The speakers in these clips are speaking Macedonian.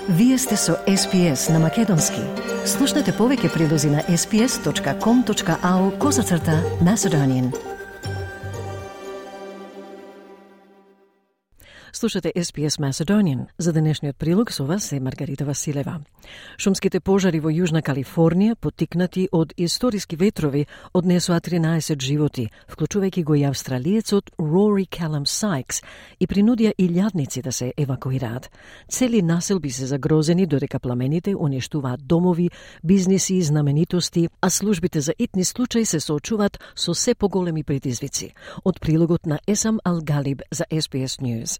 Вие сте со SPS на Македонски. Слушнете повеќе прилози на sps.com.au/Macedonian. Слушате SPS Macedonian. За денешниот прилог со вас е Маргарита Василева. Шумските пожари во Јужна Калифорнија, поттикнати од историски ветрови, однесоа 13 животи, вклучувајќи го и австралиецот Rory Callum Sykes, и принудија илјадници да се евакуираат. Цели населби се загрозени додека пламените уништуваат домови, бизниси и знаменитости, а службите за итни случаи се соочуваат со се поголеми предизвици. Од прилогот на Есам Ал-Галиб за SPS News.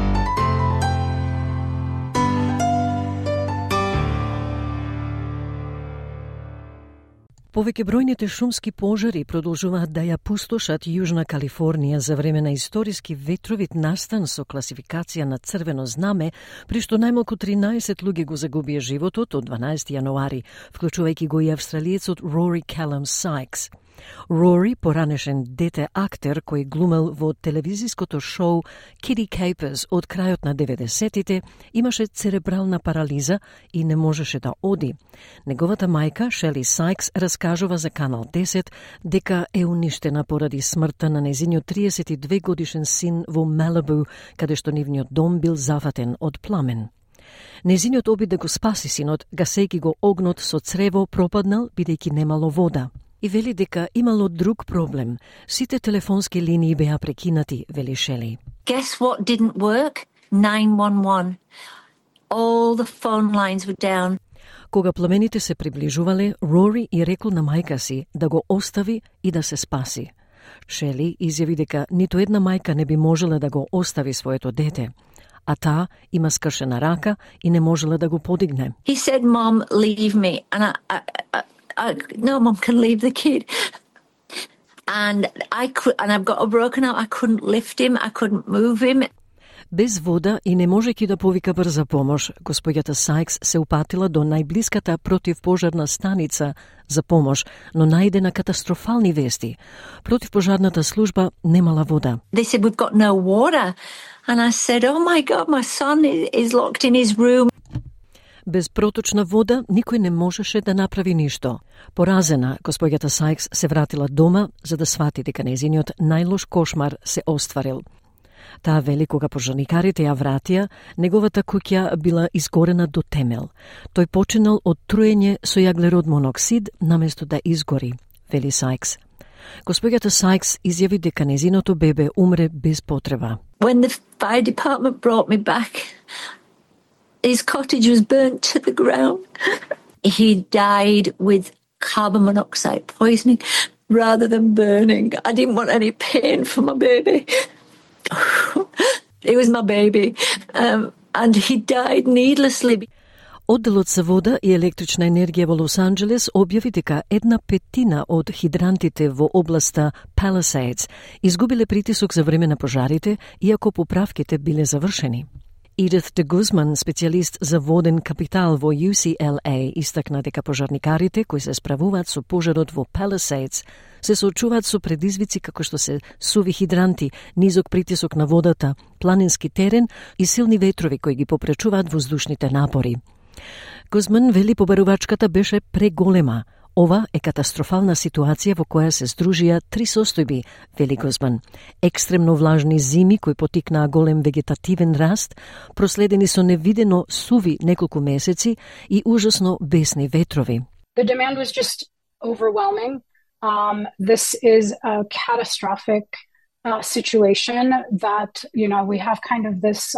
Повеќе бројните шумски пожари продолжуваат да ја пустошат Јужна Калифорнија за време на историски ветровит настан со класификација на црвено знаме, при што најмалку 13 луѓе го загубија животот од 12 јануари, вклучувајќи го и австралиецот Rory Callum Sykes. Rory, поранешен дете актер кој глумел во телевизиското шоу Kitty Capers од крајот на 90-тите, имаше церебрална парализа и не можеше да оди. Неговата мајка, Шели Сайкс, раскажува за Канал 10 дека е уништена поради смртта на незиниот 32 годишен син во Малибу, каде што нивниот дом бил зафатен од пламен. Незиниот обид да го спаси синот, гасејќи го огнот со црево, пропаднал бидејќи немало вода. И вели дека имало друг проблем. Сите телефонски линии беа прекинати, вели Шели. Guess what didn't work? 911. All the phone lines were down. Кога пламените се приближувале, Рори и рекол на мајка си да го остави и да се спаси. Шели изјави дека ниту една мајка не би можела да го остави своето дете, а таа има скршена рака и не можела да го подигне. He said, "Mom, leave me." And no, Mom can leave the kid. And I've got a broken arm. I couldn't lift him. I couldn't move him. Без вода и не можејќи да повика брза помош, господјата Сайкс се упатила до најблиската противпожарна станица за помош, но најде на катастрофални вести. Противпожарната служба немала вода. They said, "We've got no water." And I said, "Oh my God, my son is locked in his room." Без проточна вода никој не можеше да направи ништо. Поразена, господјата Сайкс се вратила дома за да свати дека незиниот најлош кошмар се остварил. Таа вели кога пожарникарите ја вратија, неговата куќа била изгорена до темел. Тој починал од труење со јаглерод моноксид наместо да изгори, вели Сайкс. Господјата Сайкс изјави дека незиното бебе умре без потреба. When the fire department brought me back, his cottage was burnt to the ground. He died with carbon monoxide poisoning rather than burning. I didn't want any pain for my baby. It was my baby. And he died needlessly. Одделот за вода и електрична енергија во Лос Анџелес објави дека 1/5 од хидрантите во областа Palisades изгубиле притисок за време на пожарите, иако поправките биле завршени. Edith de Guzman, специјалист за воден капитал во UCLA, истакна дека пожарникарите кои се справуваат со пожарот во Palisades се соочуваат со предизвици како што се суви хидранти, низок притисок на водата, планински терен и силни ветрови кои ги попречуваат воздушните напори. Гузман вели побарувачката беше преголема. Ова е катастрофална ситуација во која се здружија три состојби, вели Гузман. Екстремно влажни зими кои потикнаа голем вегетативен раст, проследени со невидено суви неколку месеци и ужасно бесни ветрови. The demand was just overwhelming. This is a catastrophic situation that, we have kind of this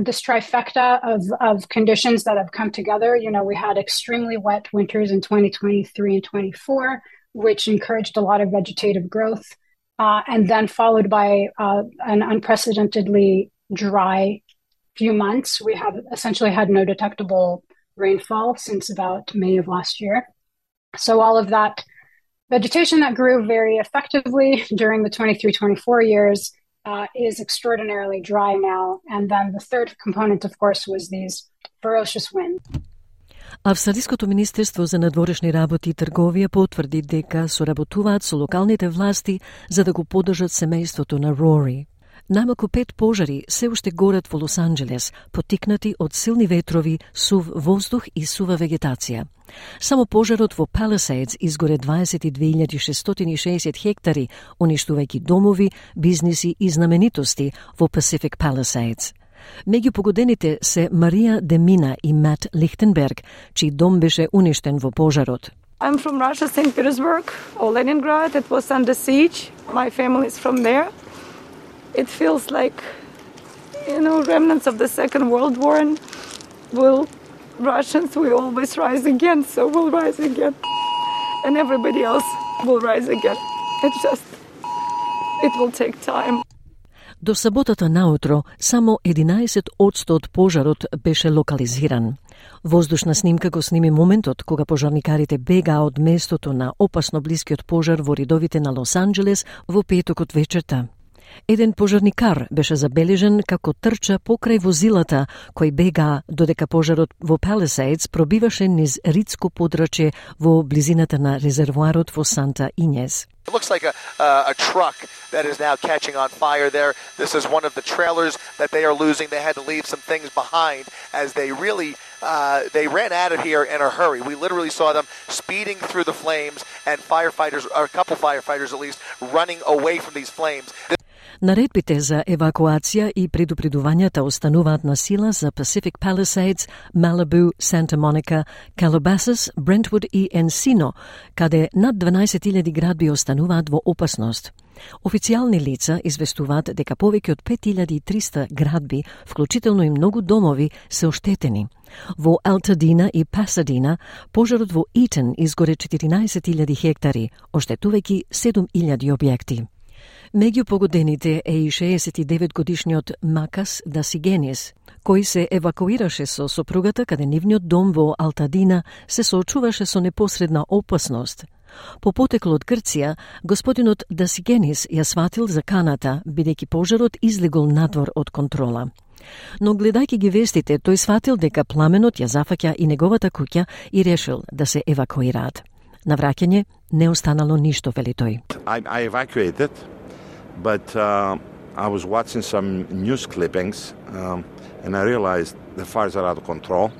this trifecta of conditions that have come together. We had extremely wet winters in 2023 and 24, which encouraged a lot of vegetative growth, and then followed by an unprecedentedly dry few months. We have essentially had no detectable rainfall since about May of last year. So all of that vegetation that grew very effectively during the 23-24 years is extraordinarily dry now. And then the third component, of course, was these ferocious winds. Австралиското министерство за надворешни работи и трговија потврди дека соработуваат со локалните власти за да го поддржат семејството на Рори. Најмалку 5 пожари се уште горат во Лос Анџелес, поттикнати од силни ветрови, сув воздух и сува вегетација. Само пожарот во Palisades изгоре 22.660 хектари, уништувајќи домови, бизниси и знаменитости во Pacific Palisades. Меѓу погодените се Марија Демина и Мат Лихтенберг, чиј дом беше уништен во пожарот. I'm from Russia, St. Petersburg, or Leningrad. It was under siege. My family is from there. It feels like, remnants of the Second World War, and Russians will always rise again, so we'll rise again. And everybody else will rise again. It will take time. До саботата наутро, само 11% од пожарот беше локализиран. Воздушна снимка го сними моментот кога пожарникарите бегаа од местото на опасно блискиот пожар во ридовите на Лос Анџелес во петокот вечерта. Еден пожарникар беше забележен како трча покрај возилата кои бегаа додека пожарот во Palisades пробиваше низ ридско подрачје во близината на резервоарот во Санта Инес. It looks like a truck that is now catching on fire there. This is one of the trailers that they are losing. They had to leave some things behind as they really they ran out of here in a hurry. We literally saw them speeding through the flames and firefighters, or a couple firefighters at least, running away from these flames. Наредбите за евакуација и предупредувањата остануваат на сила за Pacific Palisades, Malibu, Santa Monica, Calabasas, Brentwood и Encino, каде над 12.000 градби остануваат во опасност. Официјални лица известуваат дека повеќе од 5.300 градби, вклучително и многу домови, се оштетени. Во Алтадина и Пасадина, пожарот во Итон изгоре 14.000 хектари, оштетувајќи 7.000 објекти. Меѓу погодените е и 69-годишниот Макас Дасигенис, кој се евакуираше со сопругата каде нивниот дом во Алтадина се соочуваше со непосредна опасност. По потекло од Грција, господинот Дасигенис ја сватил за каната, бидејќи пожарот излегол надвор од контрола. Но гледајќи ги вестите, тој сватил дека пламенот ја зафаќа и неговата куќа и решил да се евакуираат. На враќање не останало ништо, вели тој. I evacuated, but I was watching some news clippings and I realized the fires are out of control.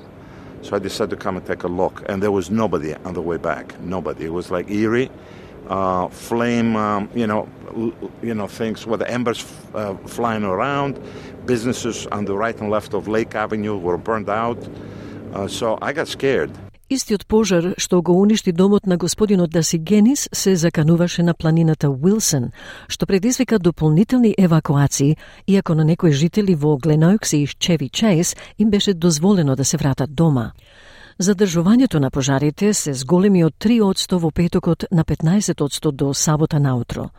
So I decided to come and take a look, and there was nobody on the way back. Nobody. It was like eerie, flame, things with the embers flying around. Businesses on the right and left of Lake Avenue were burned out. So I got scared. Истиот пожар што го уништи домот на господинот Дасигенис се закануваше на планината Уилсон, што предизвика дополнителни евакуации, иако на некои жители во Гленоукс и Чеви Чейс им беше дозволено да се вратат дома. Задржувањето на пожарите се зголеми од 3% во петокот на 15% до сабота наутро.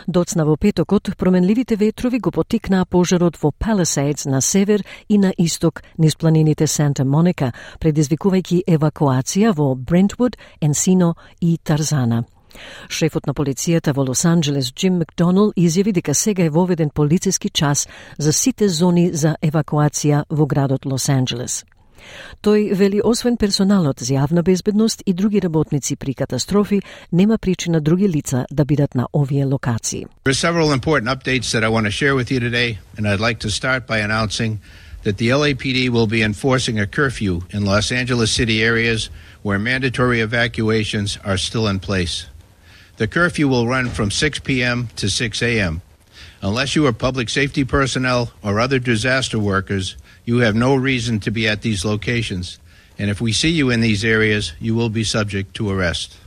Доцна во петокот, променливите ветрови го потикнаа пожарот во Palisades на север и на исток низ планините Санта Моника, предизвикувајќи евакуација во Брентвуд, Енсино и Тарзана. Шефот на полицијата во Лос Анџелес Джим Макдоналд изјави дека сега е воведен полициски час за сите зони за евакуација во градот Лос Анџелес. Тој вели освен персоналот за јавна безбедност и други работници при катастрофи, нема причина други лица да бидат на овие локации. There are several important updates that I want to share with you today, and I'd like to start by announcing that the LAPD will be enforcing a curfew in Los Angeles city areas where mandatory evacuations are still in place. The curfew will run from 6 p.m. to 6 a.m. Unless you are public safety personnel or other disaster workers, you have no reason to be at these locations, and if we see you in these areas, you will be subject to arrest.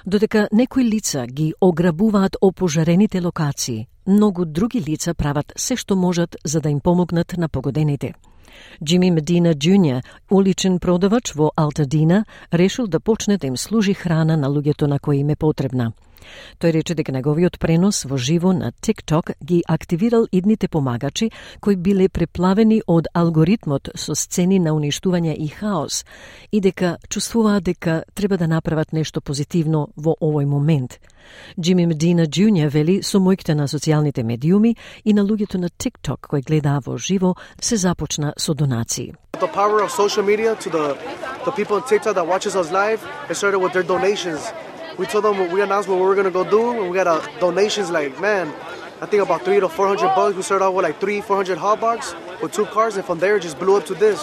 Додека некои лица ги ограбуваат опожарените локации, многу други лица прават се што можат за да им помогнат на погодените. Джими Медина Джуниор, уличен продавач во Алтадина, решил да почне да им служи храна на луѓето на кои им е потребна. Тој рече дека неговиот пренос во живо на TikTok ги активирал идните помагачи кои биле преплавени од алгоритмот со сцени на уништување и хаос и дека чувствуваат дека треба да направат нешто позитивно во овој момент. Джими Медина Джуниор вели со мојките на социјалните медиуми и на луѓето на TikTok кои гледаа во живо се започна со донации. The power of social media to the people on TikTok that watches us live, it started with their donations. We told them, we announced what we were going to go do, and we got donations like, man, I think about 300 to 400 bugs. We started out with like 300-400 hot dogs with 2 cars, and from there it just blew up to this.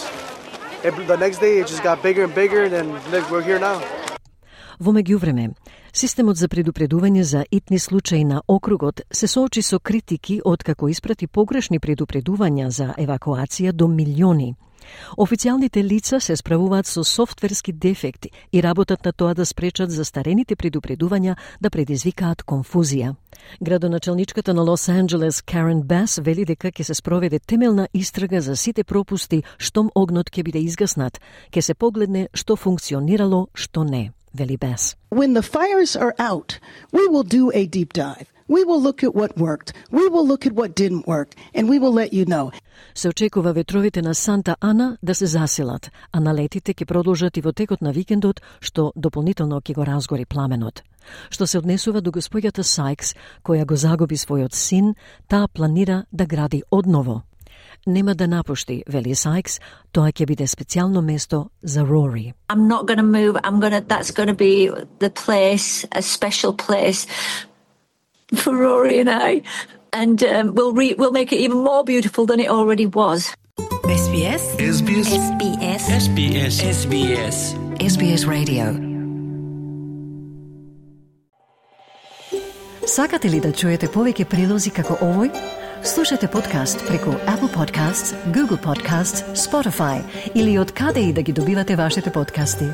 The next day it just got bigger and bigger, and then we're here now. Во меѓувреме, системот за предупредување за итни случаи на округот се соочи со критики откако испрати погрешни предупредувања за евакуација до милиони. Официјалните лица се справуваат со софтверски дефекти и работат на тоа да спречат застарените предупредувања да предизвикаат конфузија. Градоначалничката на Лос Анџелес Карен Бас вели дека ќе се спроведе темелна истрага за сите пропусти штом огнот ќе биде изгаснат, ќе се погледне што функционирало, што не, вели Бас. When the fires are out, we will do a deep dive. We will look at what worked. We will look at what didn't work, and we will let you know. Се очекува ветровите на Санта Ана да се засилат, а налетите ќе продолжат и во текот на викендот, што дополнително ќе го разгори пламенот. Што се однесува до госпоѓата Сайкс, која го загуби својот син, таа планира да гради одново. Нема да напушти, вели Сайкс, тоа ќе биде специјално место за Рори. I'm not going to move. That's going to be the place, a special place for Rory and I, and we'll make it even more beautiful than it already was. SBS SBS SBS SBS SBS SBS Radio. Сакате ли да чуете повеќе прилози како овој? Слушате подкаст преку Apple Podcasts, Google Podcasts, Spotify или од каде и да ги добивате вашите подкасти.